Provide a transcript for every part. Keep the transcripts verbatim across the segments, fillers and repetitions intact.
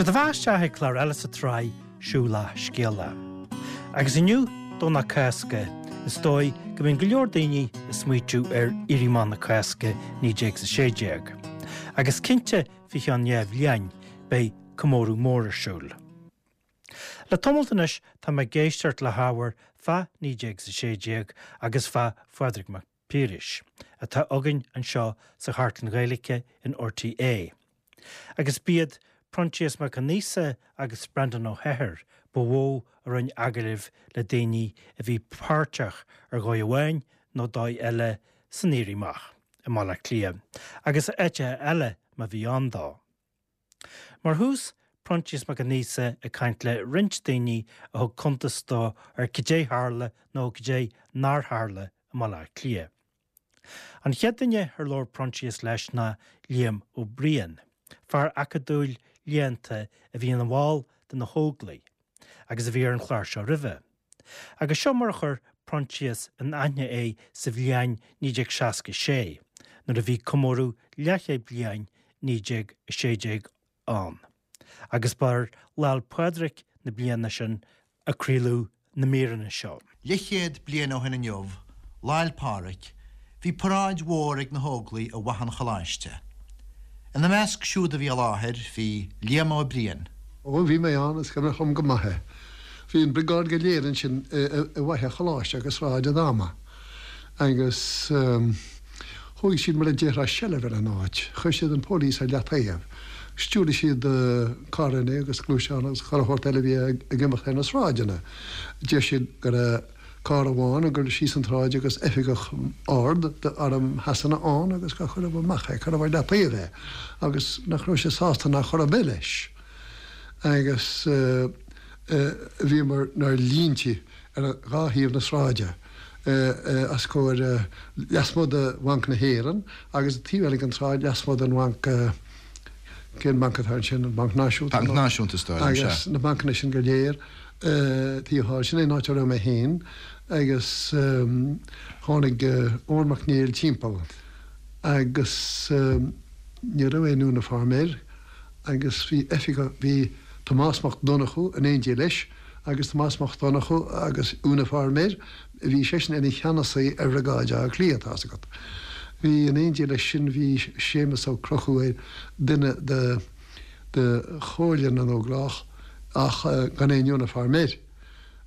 Seo daoibh isteach ag clár eile sa tsraith Siúlach Scéalach. Agus inniu, Domhnach Cásca, is dóigh go mbíonn go leor daoine ag smaoitiú ar Éirí Amach na Cásca naoi déag is a sé déag. Agus cinnte faoi cheann dhá bhliain beidh comóradh mór ar siúl. Le tamalt anois tá mé ag éisteacht le hábhar fá naoi déag is a sé déag agus fá Phádraig Mac Piarais, atá againn anseo sa Chartlann Ghaeilge in R T É. Agus b'iad Proinsias Mac Aonghusa agus Breandán Ó hEithir ba mhó a rinne agallaimh le daoine a bhí páirteach ar dhóigh amháin nó dóigh eile san Éirí Amach i mBaile Átha Cliath, agus áiteacha eile má bhí ann dó. Mar thús, Proinsias Mac Aonghusa ag caint le roinnt daoine a thug cuntas dó ar cad é tharla nó cad é nár tharla i mBaile Átha Cliath. An chéad duine ar labhair Proinsias leis ná Liam Ó Briain, fear acadúil léannta a bhí ina bhall de na hÓglaigh, agus a bhí ar an chlár seo roimhe. Agus seo mar a chuir Proinsias in aithne é sa bhliain naoi déag seasca sé, nuair a bhí comóradh leathchéad bliain naoi déag a sé déag ann. Agus ba ar Lá 'le Pádraig na bliana sin a craoladh na míreanna seo. Leathchéad bliain ó shin inniu, Lá 'le Pádraig, bhí paráid mhór ag na hÓglaigh i bhFaiche an Choláiste. Ina measc siúd a bhí i láthair bhí Liam Ó Briain. Ó bhí mé ann, is cuimhin liom go maith é. Bhí an briogáid go léir ansin i bhFaiche an Choláiste agus Sráid Adama. Agus thóg siad mar a déarfá seilbh ar an áit, chuir siad an póilíos ar leataobh. Stiúraigh siad carranna agus gluaisteáin agus chuile shórt eile a bhí ag imeacht ar na sráideanna. Deir siad go raibh carr amháin ag dul síos an tsráid agus oifigeach ard d'arm Shasana ann agus gur cuireadh amach é, cuireadh ar leataobh é agus nach raibh sé sásta ná chor ar bith leis. Agus bhíomar inár línte ar dhá thaobh na sráide os comhair lasmuigh de Bhanc na hÉireann agus taobh eile den tsráid lasmuigh den bhanc cén banc atá ansin an Banc Náisiúnta. Banc Náisiúnta agus na bancanna sin go léir taobh thall sin é an áit a raibh mé féin agus tháinig Eoin Mac Néill timpeall agus ní raibh aon uniform air agus bhí oifigeach bhí Tomás Mac Donnchú in éindí leis agus Tomás Mac Donnchú agus uniform air bhí seisean ina cheannasaí ar bhriogáid Átha Cliath tá agat. Bhí in éindí leis sin bhí Séamus Ó Conchúir duine de de Chomhairle na nÓglach ach gan aon uniform air.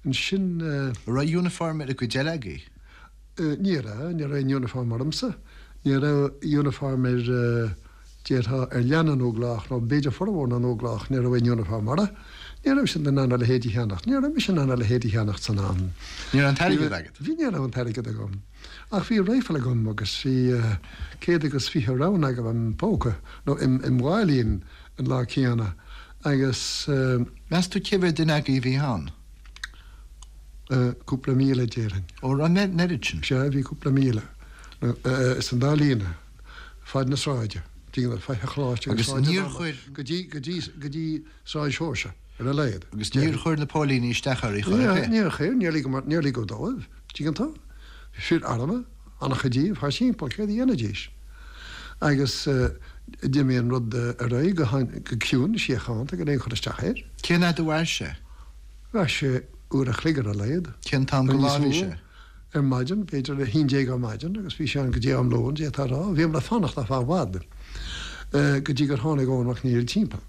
Ansin Raibh uniform ar an gcuid eile agaibh? Ní raibh ní raibh aon uniform ormsa, ní raibh uniform ar déarfá ar leath na nÓglach nó b'fhéidir formhór na nÓglach ní raibh aon uniform orthu. Ní raibh sin in ann a leithéid a cheannacht, ní raibh mise in ann a leithéid a cheannacht san am. Ní raibh an t-airgead agat? Bhí ní raibh an t-airgead agam. Ach bhí rifle agam agus bhí céad agus fiche round agam im phóca nó im im mháilín an lá céanna agus Meas tú cé mhéad duine agaibh a bhí ann? Cúpla míle déarfainn. Ó an oiread sin? Sea bhí cúpla míle is an dá líne fad na sráide, dtí Faiche Choláiste Agus níor chuir go dtí go dtí go dtí Sráid Seoirse ar a laghad. Agus níor chuir na póilíní isteach oraibh chor ar bith? Níor chuir níor níor ligeadh dóibh, tuigeann tú? Fir armtha an-chuid díobh thar timpeall céard a dhéanfaidís. Agus d'imigh an rud ar aghaidh go go ciúin síochánta gan aon chur isteach air. Cén fhad a mhair sé? Mhair sé uair a chloig ar a laghad. Cén t-am go lá bhí sé? Ar maidin, b'fhéidir a haon déag ar maidin agus bhí sé ann go dtí am lóin d'fhéadfá a rá, bhíomar ag fanacht ar feadh i bhfad go dtí gur tháinig Eoin Mac Néill timpeall.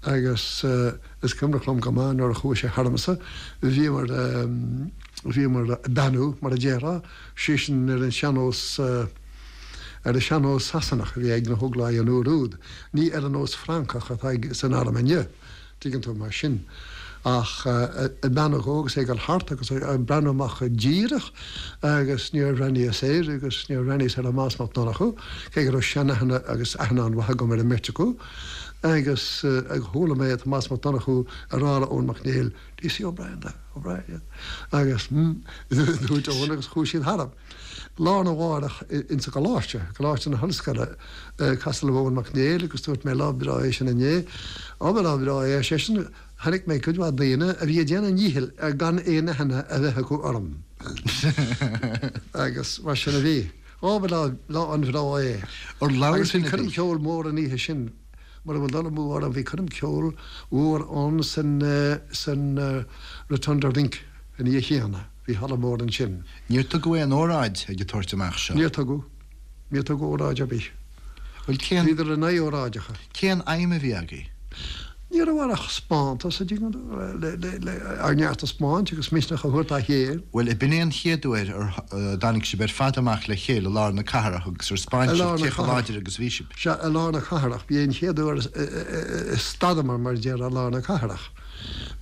Agus is cuimhneach liom go maith nuair a chuaigh sé tharamsa, bhíomar bhíomar ag beannú mar a déarfá, sé sin ar an sean-nós ar an sean-nós Sasanach a bhí ag na hÓglaigh an uair úd, ní ar an nós Francach atá ag san arm inniu, tuigeann tú mar sin. Ach ag beannú dhó agus é ag dul thart agus ag breathnú amach díreach agus níor bhreathnaíos air agus níor bhreathnaíos ar Thomás Mac Donnchú, cé go raibh seanaithne agus aithne an-mhaith agam ar an mbeirt acu, agus chuala mé Tomás Mac Donnchú ag rá le Eoin Mac Néill, Do you see O'Brien there? O'Brien, agus dúirt Eoin agus chuaigh siad tharam. Lá arna mhárach insa gcoláiste, Coláiste na hOllscoile, casadh liom Eoin Mac Néill agus dúirt mé lá breá é sin inné. Á ba lá breá é ar seisean, chonaic mé cuid mhaith daoine a bhí ag déanamh a ndíchill ar gan aon aithne a bheith acu orm. Agus mar sin a bhí. Á ba lá lá an-bhreá é. Ar labhair Agus bhí duine ar coirm bith? cheoil mór an oíche sin. Mura bhfuil dul amú orm bhí coirm ceoil mhór ann san san Rotunda Rink an oíche chéanna. Bhí halla mór ansin. Níor tugadh aon óráid ag an tabhairt amach seo? Níor tugadh. Níor tugadh óráid ar bith. Bhuel cén. Bhíodar in aghaidh óráideacha. Cén aidhm a bhí agaibh? Ní raibh ach 'speántas a dtuigeann tú, le ár neart a 'speáint agus misneach a thabhairt dá chéile. Bhuel, b'in é an chéad uair ar dtáinig sibh ar fad amach le chéile i lár na cathrach agus ar 'speáin sibh cé chomh láidir agus a bhí sibh. Sea, i lár na cathrach. B'é an chéad uair a stadamar, mar a déarfá, i lár na cathrach.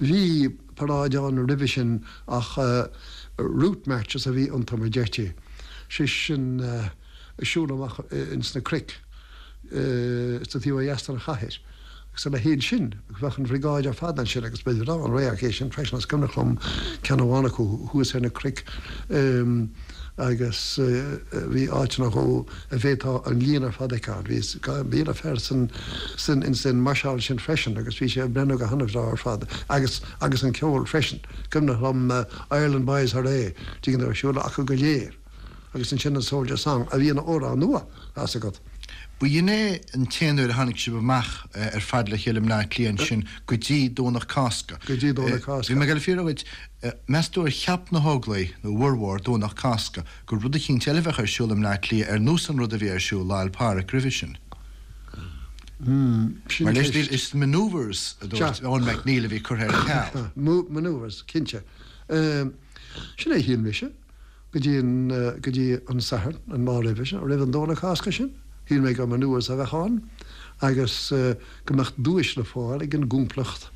Bhí paráid ann roimhe sin ach route marches a bhí iontu, mar deirtí. Sé sin, siúl amach ins na cnoic sa taobh ó dheas den chathair agus a leithéid sin. Agus bheadh an bhriogáid ar fad ansin agus ba bhreá an radharc é sin freisin. Is cuimhneach liom ceann amháin acu thuas ar na cnoic agus bhí áiteanna dhó a bhféadfá an líon ar fad a fheiceáil. Bhí míle fear san san ins an máirseáil sin freisin agus bhí sé ag breathnú go han-bhreá ar fad agus agus an ceol freisin. Cuimhneach liom Ireland Boys Hurray, tuigeann tú, ar siúl acu go léir. Agus ansin an Soldier Song, a bhí ina amhrán nua, tá 's agat. B'in é an t-aon uair a tháinig sibh amach ar fad le chéile i mBleá Cliath ansin go dtí Domhnach Cásca. Go dtí Domhnach Cásca. Bhí mé ag dul a fiafraí dhuit, meas tú ar cheap na hÓglaigh, nó a bhformhór, Domhnach Cásca, gur rud eicínt eile a bheadh ar siúl i mBleá Cliath ar nós an rud a bhí ar siúl Lá 'le Pádraig roimhe sin? Hmm, sin Mar leis ceist. is manoeuvres a dúirt Sea. Eoin MacNeill a bhí curtha ar ceal. Manoeuvres, cinnte. Sin é a shíl mise. Go dtí an, go dtí an Satharn, an lá roimhe sin, roimh an Domhnach Cásca sin, shíl mé gur manoeuvres a bheadh ann agus go mbeadh duais le fáil ag an gcomplacht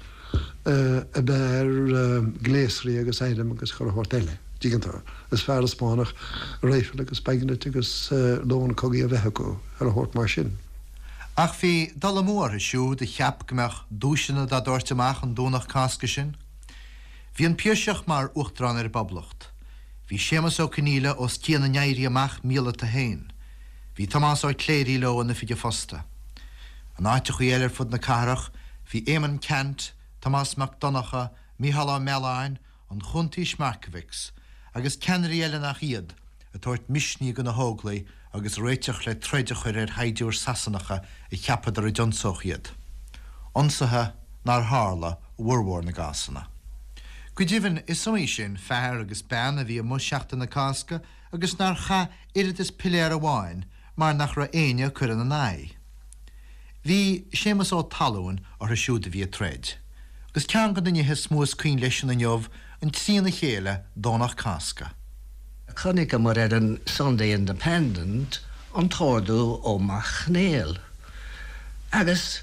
ab fhearr gléasraí agus airm agus chuile shórt eile, dtuigeann tú, is fearr a 'spáinfeadh raidhfil agus bayonet agus lón cogaidh a bheith acu, chuile shórt mar sin. Ach bhí dul amú orthu siúd a cheap go mbeadh duaiseanna dá dtabhairt amach an Domhnach Cásca sin. Bhí an Piarsach mar Uachtarán ar an bPoblacht. Bhí Séamus Ó Conghaile os cionn a n-éirí amach míleata féin. Bhí Tomás Ó Cléirigh leo in oifig an phosta. In áiteachaí eile ar fud na cathrach, bhí Éamonn Ceannt, Tomás Mac Donncha, Mícheál Ó Mealláin, an Chuntaois Markievicz, agus ceannairí eile nach iad, ag tabhairt misnigh do na hÓglaigh agus ag réiteach le troid a chur ar shaighdiúir Sasanacha a cheapadar a d'ionsódh iad. Ionsaithe nár tharla i bhformhór na gcásanna. Go deimhin, is iomaí sin fear agus bean a bhí amuigh Seachtain na Cásca agus nár chaith oiread is piléar amháin mar nach raibh éinne ag cur ina n-aghaidh. Bhí Séamus Ó Talmhain orthu siúd a bhí ag troid. Agus ceann de na nithe is mó is cuimhin leisean inniu an trína chéile Domhnach Cásca. Chonaiceamar ar an Sunday Independent an t-ordú ó Mac Néill. Agus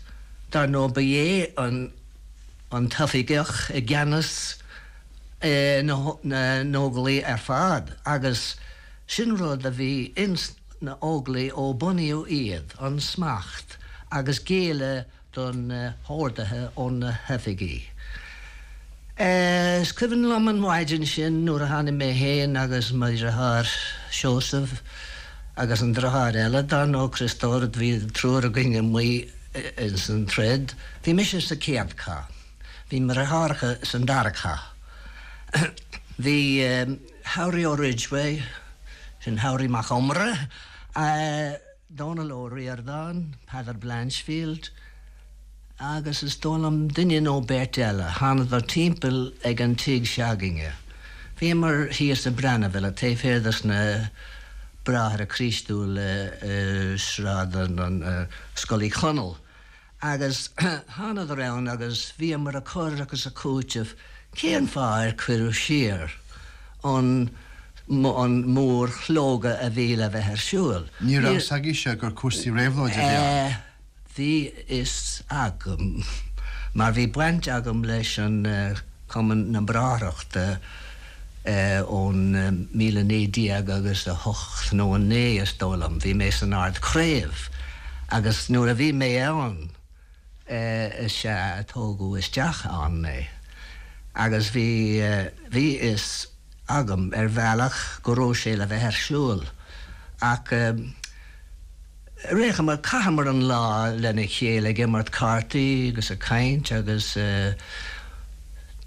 dar ndóigh ba é an an t-oifigeach i gceannas na nÓglaigh ar fad agus sin rud a bhí ins na hÓglaigh ó bunaíodh iad, an smacht agus géilleadh do na horduithe ó na hoifigí. Is cuimhin liom an mhaidin sin nuair a tháinig mé féin agus mo dheartháir Seosamh agus an deartháir eile, dar ndóigh Criostóir, bhí triúr againn amuigh ins an troid. Bhí mise sa chéad cath. Bhí mo dheartháireacha san dara cath. Bhí Howry Ó Ridgeway, sin Howry Mac Iomaire, Dónal Ó Ríordáin, Peadar Blanchfield, agus is dóigh liom duine nó beirt eile. Thánadar timpeall ag an tigh se'againne. Bhíomar thíos i Brannavilla, taobh thiar dos na Bráithre Críostúla i Sráid an Scoil Uí Chonaill. Agus thánadar ann agus bhíomar ag cur agus ag cúiteamh cén fáth ar cuireadh siar an an mórshlógadh a bhí le bheith ar siúl. Ní raibh fhios agaibhse gur cúrsaí réabhlóide a bhí ann? Bhí fhios agam, mar bhí baint agam leis an Cumann na Bráithreachta ón míle naoi déag agus a hocht nó a naoi is dóigh liom. Bhí mé san Ard-Chraobh agus nuair a bhí mé ann is ea a tógadh isteach ann mé. Agus bhí bhí fhios agam ar bhealach go raibh sé le bheith ar siúl ach Rithemar chaitheamar an lá lena chéile ag imirt cártaí agus ag caint agus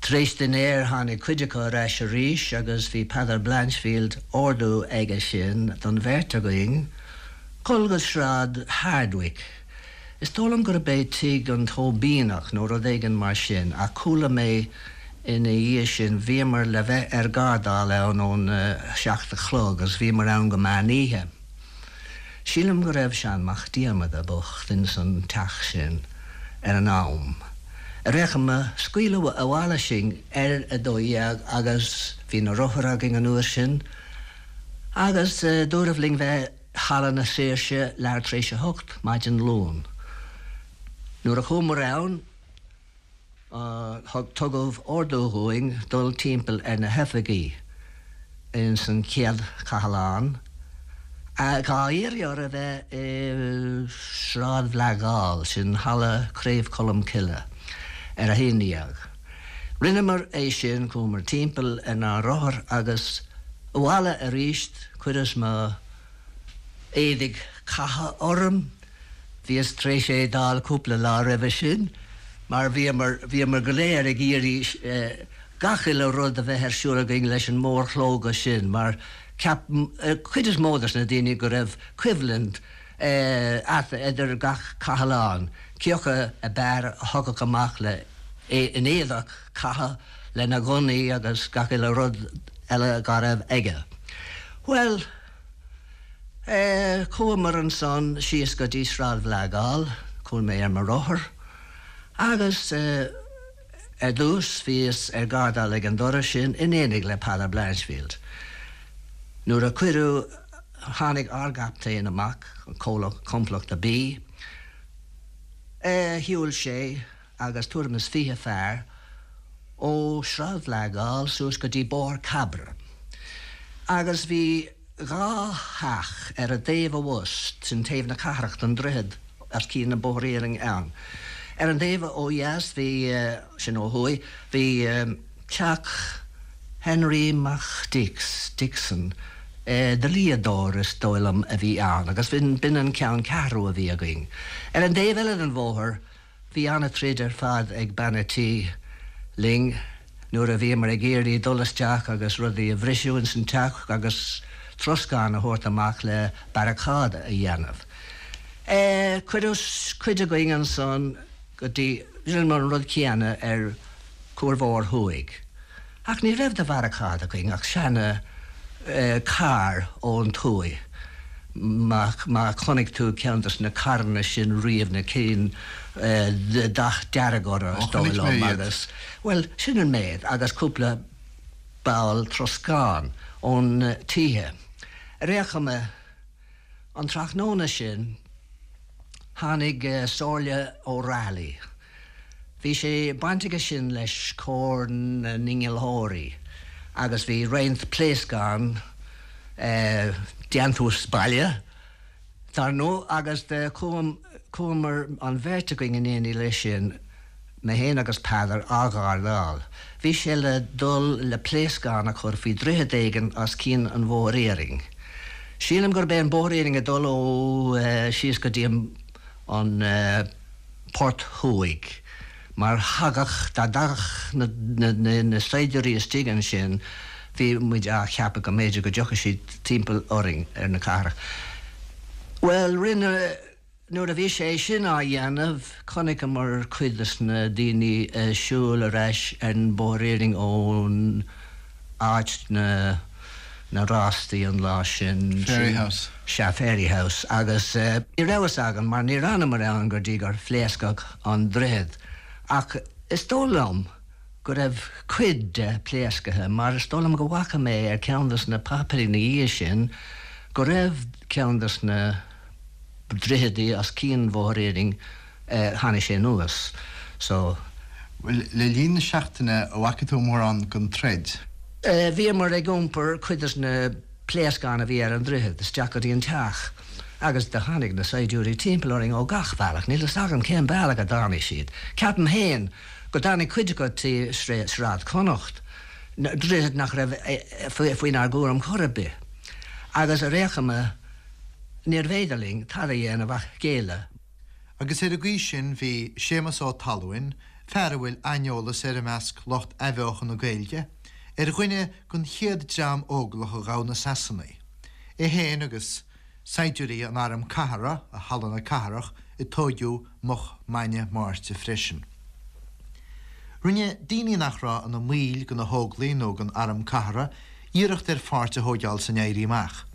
tar éis dinnéir tháinig cuid acu ar ais arís agus bhí Peadar Blanchfield ordú aige sin don bheirt againn dul go Sráid Hardwicke Is dóigh liom gurb é tigh an Tóibíneach nó rud éigin mar sin, ach chuala mé ina dhiaidh sin, bhíomar le bheith ar gardáil ann ón seacht a chlog agus bhíomar ann go meán oíche. Sílim go raibh Seán Mac Diarmada bocht ins an teach sin ar an am. Ar aon chuma, scaoileadh abhaile sinn ar a dó dhéag agus bhí na rothair againn an uair sin agus dúradh linn bheith Halla na Saoirse leathuair tar éis a hocht maidin Luain. Nuair a chuamar ann, thug tugadh ordú dhúinn dul timpeall ar na hoifigí ins an chéad chathlán, dhá iarraidh orthu a bheith i Sráid Bhleá Gall, sin Halla Craobh Cholmcille, ar a haon déag. Rinneamar é sin, chuamar timpeall ar na rothair agus abhaile arís, chuireas mo éadaigh catha orm, bhíos tar éis é d'fháil cúpla lá roimhe sin, mar bhíomar, bhíomar go léir ag iarraidh gach uile rud a bheith ar siúl againn leis an mórshlógadh sin, mar cheap cuid is mó des na daoine go raibh coimhlint idir gach cathlán, cé acu ab fhearr a thiocfadh amach le in éadach catha lena ghunnaí agus gach uile rud eile dá raibh aige. Bhuel, chuamar ansan síos go dtí Sráid Bhleá Gall, chuaigh mé ar mo rothar, agus ar dtús bhíos ar gardáil ag an doras sin in éineacht le Peadar Blanchfield. Nuair a cuireadh, tháinig ár gcaptaen amach, Complachta B, shiúil sé agus tuairim is fiche fear ó Shráid Bhleá Gall suas go dtí Bóthar Cabra. Agus bhí dhá theach ar an dtaobh abhus, sin taobh na cathrach den droichead os cionn an Bóthar Iarainn ann. Ar an dtaobh ó dheas bhí, sin ó thuaidh, bhí teach Henry Mac Dix, Dixon, dlíodóir is dóigh liom a bhí ann, agus b'in an ceann ceathrú a bhí againn. Ar an dtaobh eile den bhóthar bhí an-troid ar fad ag bean a' tí linn nuair a bhíomar ag iarraidh dul isteach agus rudaí a bhriseadh ins an teach agus troscán a thabhairt amach le barricade a dhéanamh. Cuireadh cuid againn ansan go dtí, rinneamar an rud céanna ar Chuar Mhór Thuaidh. Ach ní raibh de bharricade againn ach seana carr ón tuaith. Má má chonaic tú ceann des na carranna sin riamh, na cinn dath dearg orthu, is dóigh liom, agus, bhuel, sin an méid, agus cúpla ball troscán ón tithe. Ar aon chuma, an tráthnóna sin, tháinig Somhairle O'Reilly. Bhí sé baint aige sin leis Cór na nInnealtóirí agus bhí roinnt pléascán déantús baile, dar ndóigh, agus do chuamar an bheirt againn in éineacht leis sin, mé féin agus Peadar, á ghardáil. Bhí sé le dul le pléascán a chur faoi dhroichead éigin os cionn an Bhóthair Iarainn. Sílim gurb é an Bóthar Iarainn ag dul ó síos go dtí an Port Thuaidh, mar thagadh, dá dtagadh na saighdiúirí istigh ansin, bhí muid á cheapadh go mb'fhéidir go dtiocfadh siad timpeall orainn ar na cathrach. Bhuel, rinne, nuair a bhí sé sin á dhéanamh, chonaiceamar cuid des na daoine ag siúl ar ais ar an Bóthar Iarainn ón áit na na rástaí an lá sin. Fairyhouse. Sea, Fairyhouse. Agus ní raibh fhios againn mar níor fhanamar ann go dtí gur phléascadh an droichead. Ach is dóigh liom go raibh cuid de pléasctha mar is dóigh liom go bhfaca mé ar ceann des na páipéirí ina dhiaidh sin go raibh ceann des na droichidí os cionn Bhóthar Iarainn, tháinig sé anuas. So. Bhuel, le linn na seachtaine, an bhfaca tú mórán den troid? Bhíomar ag iompar cuid des na pléascáin a bhí ar an droichead isteach go dtí an teach agus do tháinig na saighdiúirí timpeall orainn ó gach bealach. Níl fhios agam cén bealach a dtáinig siad. Ceapaim féin go dtáinig cuid acu trí Sráid Chonnacht, droichead nach raibh faoinár gcúram chor ar bith. Agus ar aon chuma, níorbh fhéidir linn tada a dhéanamh ach géilleadh. Agus ar an gcaoi sin bhí Séamus Ó Talmhain, fear a bhfuil aineolas air i measc lucht athbheochan na Gaeilge, ar dhuine den chéad dream óglach a ghabh na Sasanaigh. É féin agus saighdiúirí an Airm Cathartha i Halla na Cathrach a tóigeadh moch maidne Máirte freisin. Rinne daoine nach raibh ina mbaill de na hÓglaigh nó den Arm Cathartha iarracht ar pháirt a thógáil san Éirí Amach.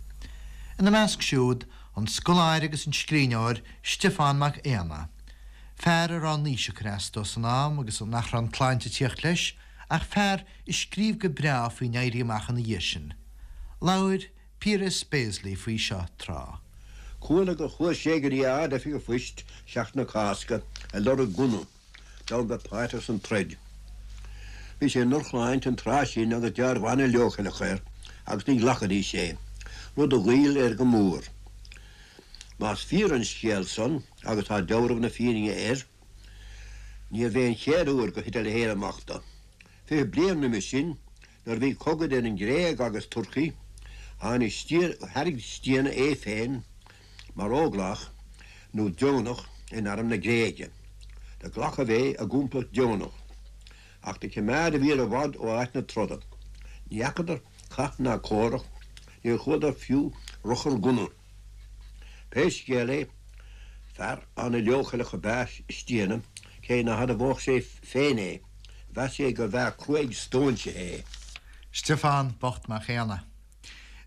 Ina measc siúd an scoláire agus an scríbhneoir Stiofán Mac Éanna. Fear a raibh an aois ag cur as dó san am agus nach raibh an tsláinte ag tíocht leis, ach fear a scríobh go breá faoin Éirí Amach ina dhiaidh sin. Labhair Piaras Béaslaí faoi seo tráth. Chuala gur chuaigh sé go dtí Ard-Oifig an Phoist seachtain na Cásca ag lorg gunna d'fhonn bheith páirteach san troid. Bhí sé i ndrochshláinte an tráth sin agus dealramh an-leochaileach air agus ní ghlacfaidís é, rud a ghoill air go mór. Más fíor an scéal san agus tá dealramh na fírinne air, níorbh é an chéad uair gur thit a leithéid amach dó. Fiche bliain roimhe sin, nuair a bhí cogadh idir an Ghréig agus Turcaí, tháinig thairg Stiabhna é féin mar óglach nó deonach in arm na Gréige. Do glacadh é i gcomplacht deonach, ach do choimeád a bhíodar i bhfad ó áit na troda. Ní fhacadar cath ná comhrac, níor chualadar fiú ruchar gunna. Pé scéal é, fear an-leochaileach ab ea Stiabhna, cé ná hadmhódh sé féin é, mheas sé gur bhfear cruaidh stóinsithe é. Stiofán bocht Mac Éanna.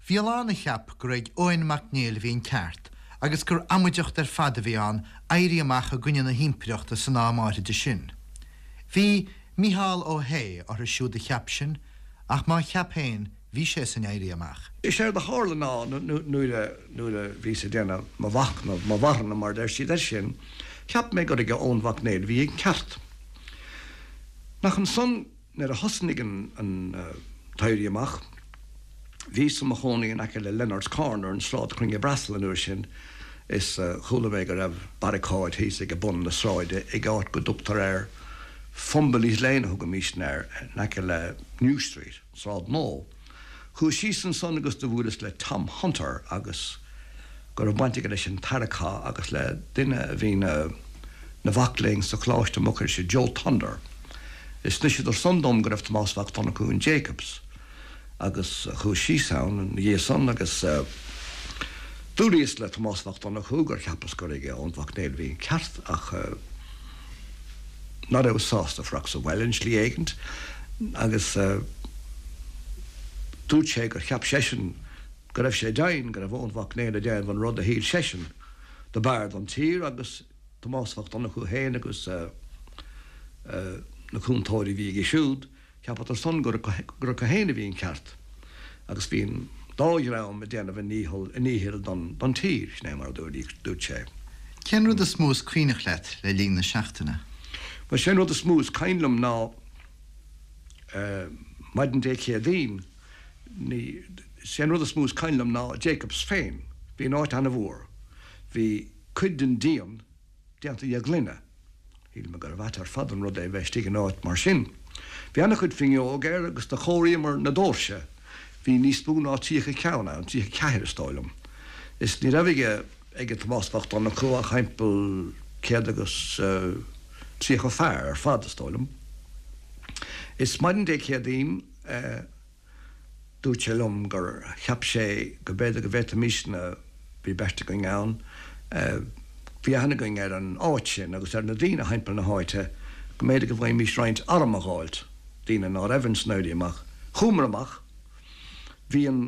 Bhí a lán a cheap gur ag Eoin Mac Néill a bhí an ceart, agus gur amaideacht ar fad a bhí ann éirí amach i gcoinne na himpireachta san am áirithe sin. Bhí Mícheál Ó hAodha orthu siúd a cheap sin, ach má cheap féin bhí sé san éirí amach. Is éard a tharla ná nuair a nuair a bhíos ag déanamh mo mhachnamh, mo mharthanam mar deir siad air sin, cheap mé gur ag Eoin Mhac Néill a bhí an ceart. Nach ansan nuair a thosnaigh an an t-éirí amach, bhíos i mo chónaí in aice le Leonard's Corner an Sráid Chruinne Breasal an uair sin is chuala mé go raibh barricade thíos ag bun na sráide ag áit go dtugtar air Fumbally's Lane a thugaimis air in aice le New Street, Sráid Nua. Chuas síos ansan agus do bhuaileas le Tom Hunter agus go raibh baint aige leis an Tarra agus le duine a bhí ina mhac léinn sa Choláiste Mucris Joe Thunder. Is d'inseadar san dom go raibh Tomás Mac Donnchú in Jacobs agus chuas síos ann ina dhiaidh san agus dúras le Tomás Mac Donnchú gur cheapas gur ag Eoin Mhac Néill a bhí an ceart ach ná raibh sásta fanacht sa bhaile an slí éigint agus dúirt sé gur cheap seisean go raibh sé deimhin go raibh Eoin Mhac Néill ag déanamh an rud a shíl seisean do b'fhearr don tír agus Tomás Mac Donnchú féin agus na cúntóirí a bhí aige siúd, cheapadar san gur acu féin a bhí an ceart agus bhí an dá dhream ag déanamh a ndícheall a ndíchill don don tír, sin é mar a dúirt sé. Cén rud is mó is cuimhneach leat le linn na seachtaine? Bhuel sé an rud is mó is cuimhin liom ná maidin Dé Céadaoin, ní, sé an rud is mó is cuimhin liom ná Jacobs féin. Bhí an áit an-mhór. Bhí cuid den díon déanta de ghloine. Shíl mé gurbh ait ar fad an rud é bheith istigh in áit mar sin. Bhí an-chuid fuinneog air agus do chomhairíomar na doirse. Bhí níos mó ná tríocha ceann ann, tríocha ceathair is dóigh liom. Is ní raibh aige ag Tomás Mac Donnchú ach thimpeall céad agus tríocha fear ar fad is dóigh liom. Is maidin Dé Céadaoin dúirt sé liom gur cheap sé go mb'fhéidir go bhféadfaimisne, bhí beirt againn ann, bhí aithne againn ar an áit sin agus ar na daoine thimpeall na háite, go mb'fhéidir go bhfaighimís roinnt arm a dh'fháilt, daoine ná raibh ins an Éirí Amach. Chuamar amach. Bhí an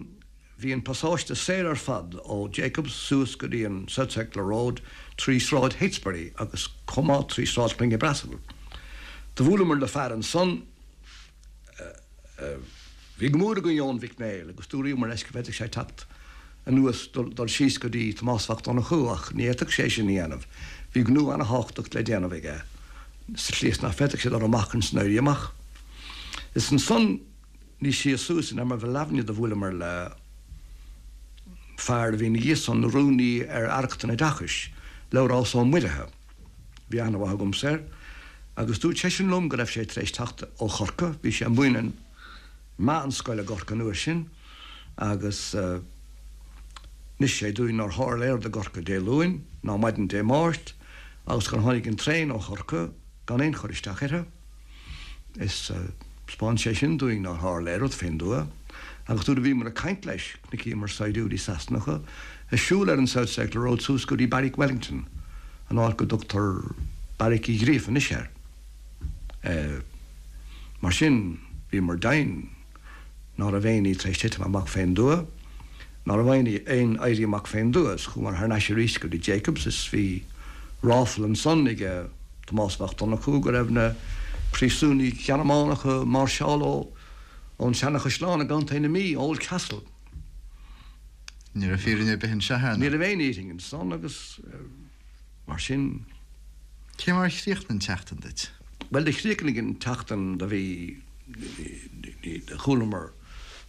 Bhí an pasáiste saor ar fad ó Jacobs suas go dtí an South Circular Road trí Sráid Heytesbury agus chomh maith trí Sráid Chloinne Breasail. Do bhuaileamar le fear ansan a bhí go mór i gcoinne Eoin Mhic Néill agus dúraíomar leis go bhféadfadh sé teacht anuas dul síos go dtí Tomás Mhac Donnchú ach ní fhéadfadh sé sin a dhéanamh. Bhí gnó ana-thábhachtach le déanamh aige sa tslí is nach bhféadfadh sé dul amach ins an Éirí Amach. Is ansan níos sia suas in Emerville Avenue do bhuaileamar le fear a bhí ina dhiaidh san ina rúnaí ar Aireacht an Oideachais, Labhrás Ó Muirithe. Bhí aithne mhaith agamsa air agus dúirt seisean liom go raibh sé tar éis teacht ó Chorcaigh, bhí sé ag múineadh meánscoile i gCorcaigh an uair sin agus d'inis sé dúinn nár tharla aon rud i gCorcaigh Dé Luain ná maidin Dé Máirt agus gur tháinig an traein ó Chorcaigh gan aon chur isteach uirthi. Is 'spáin sé sin dúinn nár tharla aon rud fén dtuath, agus nuair a bhíomar ag caint leis, chonaiceamar saighdiúirí Sasanacha ag siúl ar an South Circular Road suas go dtí Beairic Wellington, an áit go dtugtar Beairic Uí Ghríofa anois air. Mar sin, bhíomar deimhin ná raibh aon ní tar éis titim amach fén dtuath, ná raibh aon aon éirí amach fén dtuath, is chuamar thar n-ais arís go dtí Jacobs is bhí ráfla ansan ag Tomás Mac Donnchú go raibh na príosúnaigh Ghearmánacha ag máirseáil ó ón Seanachaisleán i gContae na Mí, Old Castle. Ní raibh fírinne ar bith anseo, ar Ní raibh aon fhírinne ansan agus mar sin. Cé mar a chríochnaigh an tseachtain duit? Bhuel, do chríochnaigh an tseachtain do bhí, do chualamar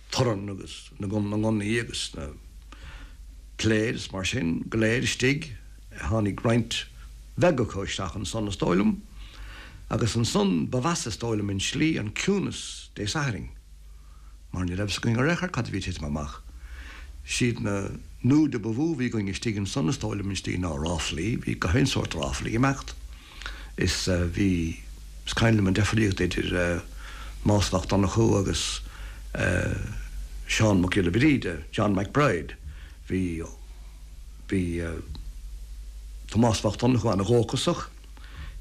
torann agus na ngunnaí agus na piléir is mar sin go léir istigh. Tháinig roinnt bheag acu isteach ansan is dóigh liom agus ansan ba mheasa is dóigh liom an tslí an ciúnas Dé Sathairn mar ní raibh 's againn ar aon chor cad a bhí ag titim amach. Siad na nuada ba mhó a bhí againn istigh ansan is dóigh liom an tslí ná ráflaí, bhí gach aon sórt ráflaí ag imeacht is bhí, is cuimhin liom an deifríocht idir Tomás Mac Donnchú agus Seán Mac Giolla Bhríde, John McBride, bhí, bhí Tomás Mac Donnchú ana-dhóchasach,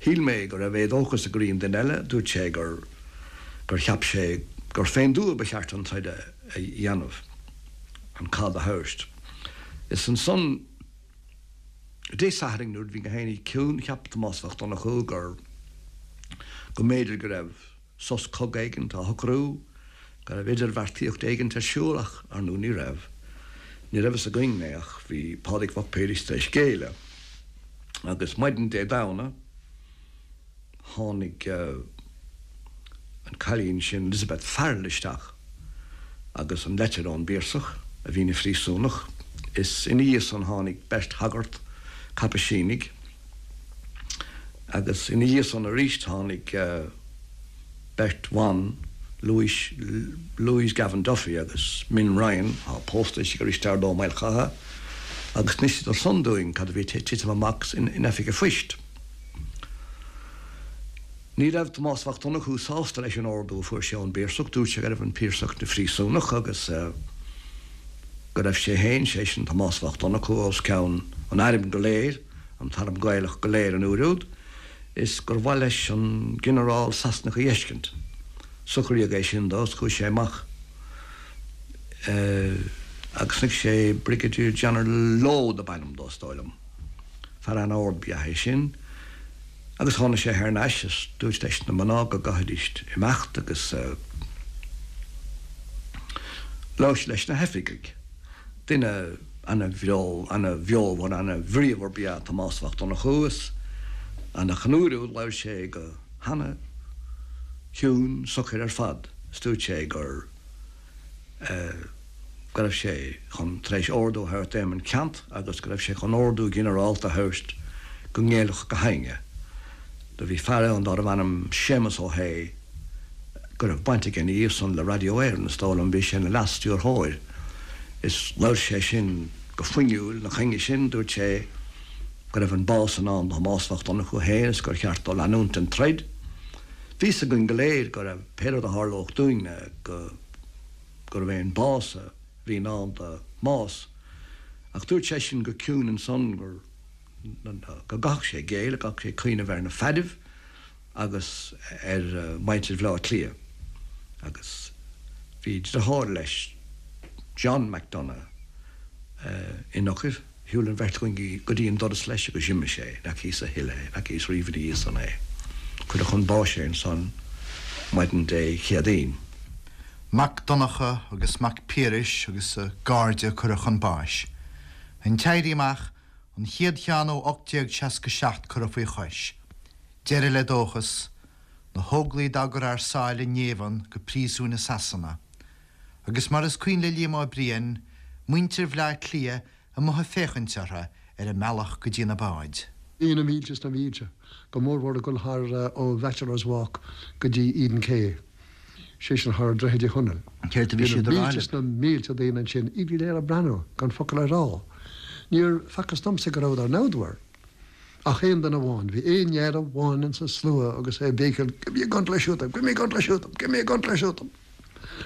shíl mé go raibh éadóchas ag éirí i nduine eile, dúirt sé gur, gur cheap sé gur fén dtuath ba cheart an troid a dhéanamh, an cath a thabhairt. Is ansan Dé Sathairn nuair a bhí gach aon ní ciúin, cheap Tomás Mac Donnchú gur, go mb'fhéidir go raibh sos cogaidh éigint á shocrú, go raibh idirbheartaíocht éigint ar siúl ach, ar ndóigh, ní raibh. Ní raibh fhios againn é ach bhí Pádraig Mac Piarais tar éis géilleadh. Agus maidin Dé Domhnaigh tháinig an cailín sin Elizabeth Farrell isteach agus an leitir ón bPiarsach, a bhí ina phríosúnach. Is ina dhiaidh san tháinig beirt shagart, Caipisínigh, agus ina dhiaidh san arís tháinig beirt bhan, Louise, Louise Gavan Duffy agus Min Ryan, atá pósta anois ag Risteárd Ó Maolchatha, agus d'iníseadar san dúinn cad a bhí ag titim amach in oifig an phoist. Ní raibh Tomás Mac Donnchú sásta leis an ordú a fuair sé ón bPiarsach, dúirt sé go raibh an Piarsach ina phríosúnach agus go raibh sé féin, sé sin Tomás Mac Donnchú, os cionn an airm go léir, an t-arm Gaelach go léir an uair úd, is gur mhaith leis an ginearál Sasanach a dh'fheiscint. Socraíodh é sin dó is chuaigh sé amach agus chonaic sé Brigadier General Lowe dob ainm dó, is dóigh liom. Fear an-ard ba ea é sin. Agus tháinig sé thar n-ais is dúirt leis na mná go gcaithfidís imeacht agus labhair sé leis na hoifigigh. Duine ana-bheo, ana-bheomhar, ana-bhríomhar ba ea Tomás Mac Donnchú is ach an uair úd labhair sé go hana-chiúin socair ar fad is dúirt sé gur go raibh sé chun tar éis ordú a thabhairt d'Éamonn Ceannt agus go raibh sé chun ordú ginearálta a thabhairt go ngéillfeadh gach éinne. Do bhí fear ann dárbh ainm Séamus Ó hAodha go raibh baint aige ina dhiaidh san le Radio Éireann, is dóigh liom, bhí sé ina leas-stiúrthóir. Is labhair sé sin go fuinniúil ina choinne sin, dúirt sé go raibh an bás i ndán do Thomás Mac Donnchú féin is gur cheart dó leanúint den troid. Bhí 'fhios againn go léir go raibh pé rud a tharlódh dúinne go gurbh é an bás a bhí i ndán do Thomás. Ach dúirt seisean go ciúin ansan gur go gcaithfeadh sé géilleadh, go gcaithfeadh sé cuimhneamh ar na fearaibh agus ar mhuintir Bhaile Átha Cliath. Agus bhí deartháir leis, John McDonagh, in Eochair. Shiúil an bheirt againn go dtí an doras leis agus d'imigh sé. Ní fhacathas a thuilleadh é, ní fhacathas riamh ina dhiaidh san é. Cuireadh chun báis é ansan maidin Dé Céadaoin. Mac Donncha agus Mac Piarais agus a gcairde curtha chun báis. An tÉirí Amach, an chéad cheann ó ocht déag seasca seacht curtha faoi chois. Deireadh le dóchas, na hÓglaigh dá gcur thar sáile i ngéibheann go príosúin i Sasana. Agus mar is cuimhin le Liam Ó Briain, muintir Bhaile Átha Cliath amuigh ag féachaint orthu ar a mbealach go dtí na báid. Bhí na mílte is na mílte, go mórmhór ag dul thar ó Bachelor's Walk go dtí Eden Quay, sé sin thar Droichead Uí Chonaill. Céard a bhí Bhí siad na a rá mílte libh? is na mílte daoine ansin, iad go léir ag breathnú, gan focal a rá. Níor facthas domsa go rabhadar namhdmhar. Ach aon duine amháin, bhí aon fhear amháin insa slua agus é ag béicíl, Give me a gun till I shoot them, give me a gun till I shoot them, give me a gun till I shoot them.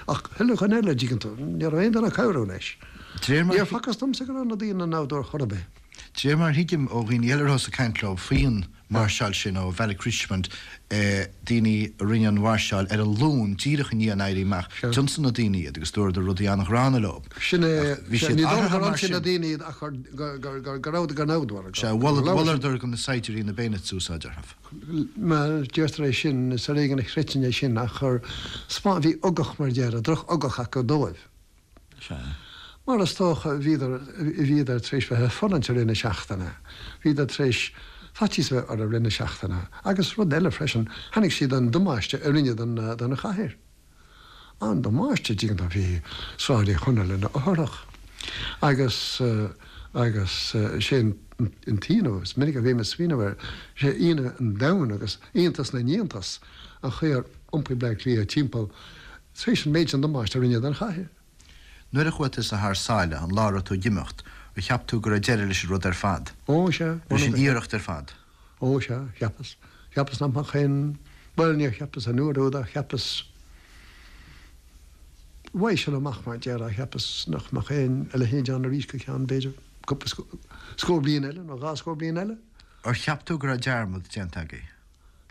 Ach chuile dhuine eile, dtuigeann tú, ní raibh aon duine ag cabhrú leis. De réir mar Níor facthas domsa go raibh na daoine namhdmhar chor ar bith. De réir mar a thuigim ó dhaoine eile a rabhas ag caint leo faoin máirseáil sin ó Bhealach Richmond, daoine a rinne an mháirseáil ar an Luan díreach i ndiaidh an Éirí Amach, d'ionsaigh na daoine iad agus dúradar rudaí an-ghránna leo. Sin é, Bhí siad ní dóigh athraithe gur mar ionsaigh sin. na daoine iad ach gur gur go rabhadar go namhdmhar. Sea, mholadar do na saighdiúirí na bayonets a úsáid orthu. Mar deirtear é sin, is ar éigean a chreidfinn é sin ach chur spá bhí ugach mar déarfá, droch-ugach acu dóibh. Sea. Mar is dócha bhíodar bhíodar tar éis bheith ag fulaingt i rith na seachtaine. Bhíodar tar éis faitíos a bheith orthu i rith na seachtaine. Agus rud eile freisin, chonaic siad an damáiste a rinneadh don don chathair. An damáiste dtuigeann tú bhí Sráid Uí Chonaill ina fhothrach. Agus agus sé an t-ionadh, is minic a bhím ag smaoineamh air, sé ionadh an domhain agus iontas na n-iontas an chaoi ar iompaigh Bleá Cliath timpeall tar éis an méid sin damáiste a rinneadh don chathair. Nuair a chuaigh tusa thar sáile an lá a raibh tú ag imeacht, ar cheap tú go raibh deireadh leis an rud ar fad? Ó sea. Leis an iarracht ar fad? Ó sea, cheapas. Cheapas nach mbeadh aon, bhuel níor cheapas an uair úd ach cheapas, uaidh sin amach mar déarfá, cheapas nach mbeadh aon a leithéid ann arís go ceann b'fhéidir cúpla scór bliain eile nó dhá scór bliain eile. Ar cheap tú go raibh dearmad déanta agaibh?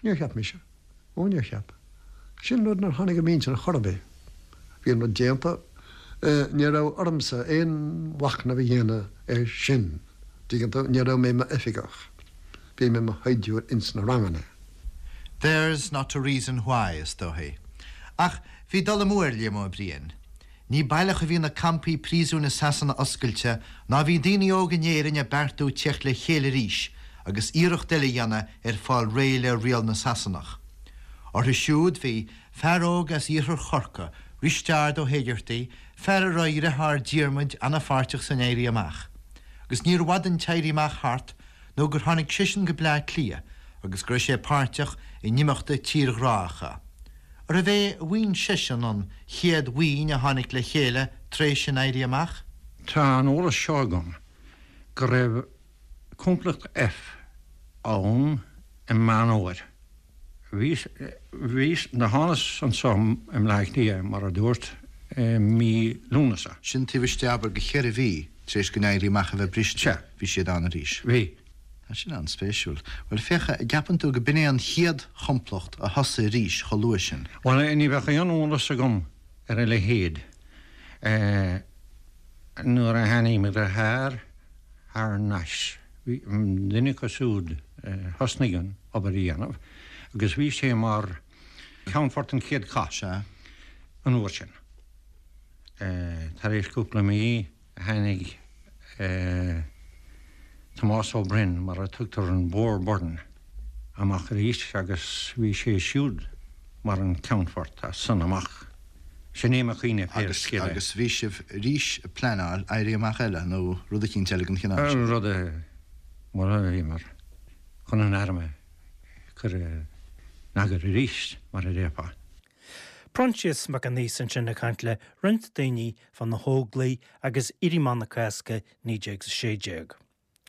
Níor cheap mise. Ó níor cheap. Sin rud nár tháinig i m'intinn ar chor ar bith. Bhí an rud déanta. Ní raibh ormsa aon mhachnamh a dhéanamh air sin, tuigeann tú, ní raibh mé i m'oifigeach, bhí mé i mo shaighdiúir ins na ranganna. Theirs not to reason why, is dóichí. Ach bhí dul amú ar Liam Ó Briain. Ní baileach a bhí na campaí príosúin i Sasana oscailte ná bhí daoine óga in Éirinn ag beartú teacht le chéile arís agus iarracht eile a dhéanamh ar fáil réidh le riail na Sasanach. Orthu siúd bhí fear óg as iarthar Chorcaí, Risteárd Ó hÉigeartaigh, fear a raibh a dheartháir Diarmuid an-pháirteach san Éirí Amach. Agus níorbh fhada an tÉirí Amach thart nó gur tháinig seisean go Bleá Cliath agus go raibh sé páirteach in imeachtaí tírghrácha. Arbh é a bhuíon seisean an chéad bhuíon a tháinig le chéile tar éis an Éirí Amach? Tá an eolas seo agam go raibh Complacht F ann i Meán Fhómhair. Bhíos, bhíos, do thánas anso i mBleá Cliath, mar a dúrt, i mí Lúnasa. Sin taobh istigh abair de cheithre mhí tar éis don Éirí Amach a bheith briste. Sea. Bhí siad ann arís. Bhí. Tá sin an-spéisiúil. Bhuel, féach, an gceapann tú go b'in é an chéad chomplacht a thosaigh arís chomh luath sin? Bhuel, ní bheadh aon eolas agam ar a leithéid. Nuair a tháinig mo dheartháir thar n-ais, bhí duine acu siúd a thosnaigh an obair a dhéanamh agus bhí sé mar cheannfort an chéad chath Sea. an uair sin. Tar éis cúpla mí tháinig Tomás Ó Broin, mar a tugtar an Boer Byrne, amach arís agus bhí sé siúd mar an ceannfort as san amach. Sin é mo chuimhne pé Agus, scéal é. agus bhí sibh arís ag pleanáil éirí amach eile nó rud eicínt eile den chineál sin? Rud a, bhuel, bhíomar chun an airm a chur in eagar arís, mar a déarfá. Proinsias Mac an Aois ansin ag caint le roinnt daoine fá na hÓglaigh agus Éirí Amach na Cásca naoi déag a sé déag.